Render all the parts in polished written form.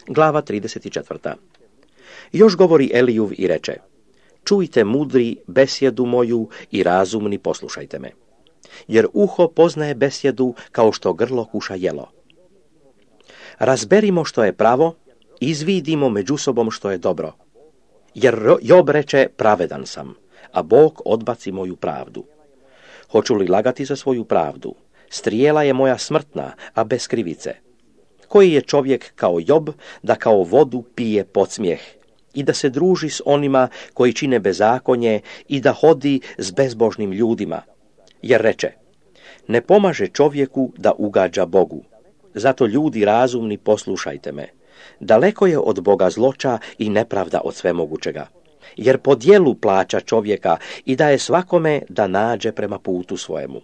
Glava 34. Još govori Elijuv i reče: čujte mudri besjedu moju i razumni poslušajte me. Jer uho poznaje besjedu kao što grlo kuša jelo. Razberimo što je pravo, izvidimo među sobom što je dobro. Jer Job reče: pravedan sam, a Bog odbaci moju pravdu. Hoću li lagati za svoju pravdu? Strijela je moja smrtna, a bez krivice. Koji je čovjek kao Job, da kao vodu pije podsmijeh i da se druži s onima koji čine bezakonje i da hodi s bezbožnim ljudima? Jer reče: ne pomaže čovjeku da ugađa Bogu. Zato ljudi razumni poslušajte me. Daleko je od Boga zloča i nepravda od svemogućega. Jer po djelu plaća čovjeka i daje svakome da nađe prema putu svojemu.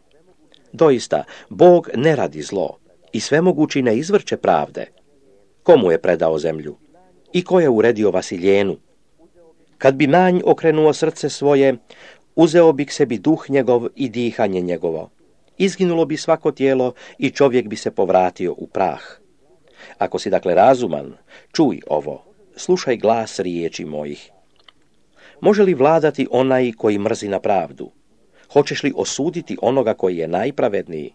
Doista, Bog ne radi zlo i svemogući ne izvrće pravde. Komu je predao zemlju? I ko je uredio Vasiljenu? Kad bi manj okrenuo srce svoje, uzeo bi k sebi duh njegov i dihanje njegovo. Izginulo bi svako tijelo i čovjek bi se povratio u prah. Ako si dakle razuman, čuj ovo, slušaj glas riječi mojih. Može li vladati onaj koji mrzi na pravdu? Hoćeš li osuditi onoga koji je najpravedniji?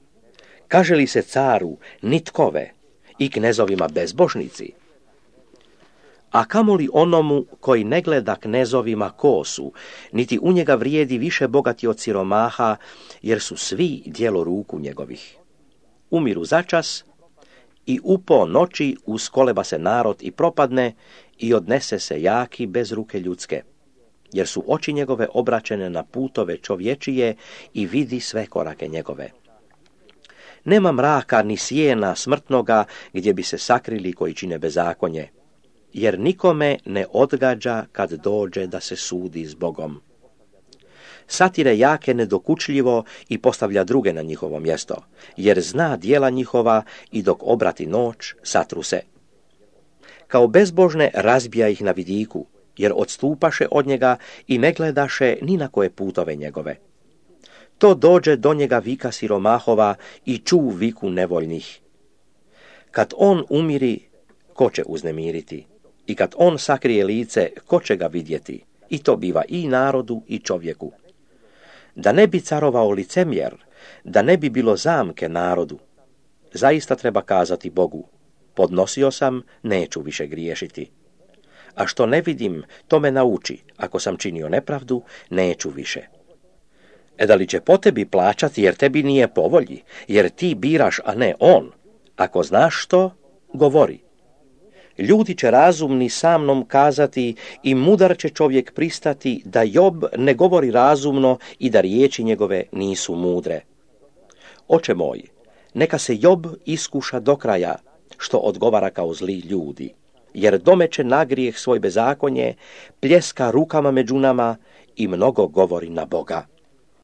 Kaže li se caru nitkove i knezovima bezbožnici? A kamoli onomu koji ne gleda knezovima kosu, niti u njega vrijedi više bogati od siromaha, jer su svi djelo ruku njegovih. Umiru začas i u po noći uskoleba se narod i propadne i odnese se jaki bez ruke ljudske, jer su oči njegove obraćene na putove čovječije i vidi sve korake njegove. Nema mraka ni sjena smrtnoga gdje bi se sakrili koji čine bezakonje, jer nikome ne odgađa kad dođe da se sudi s Bogom. Satire jake nedokučljivo i postavlja druge na njihovo mjesto, jer zna djela njihova i dok obrati noć satru se. Kao bezbožne razbija ih na vidiku, jer odstupaše od njega i ne gledaše ni na koje putove njegove. To dođe do njega vika siromahova i ču viku nevoljnih. Kad on umiri, ko će uznemiriti? I kad on sakrije lice, ko će ga vidjeti? I to biva i narodu i čovjeku. Da ne bi carovao licemjer, da ne bi bilo zamke narodu. Zaista treba kazati Bogu: podnosio sam, neću više griješiti. A što ne vidim, to me nauči. Ako sam činio nepravdu, neću više. Da li će po tebi plaćati jer tebi nije po volji, jer ti biraš, a ne on? Ako znaš što, govori. Ljudi će razumni sa mnom kazati i mudar će čovjek pristati da Job ne govori razumno i da riječi njegove nisu mudre. Oče moj, neka se Job iskuša do kraja, što odgovara kao zli ljudi, jer domeće na grijeh svoj bezakonje, pljeska rukama među nama i mnogo govori na Boga.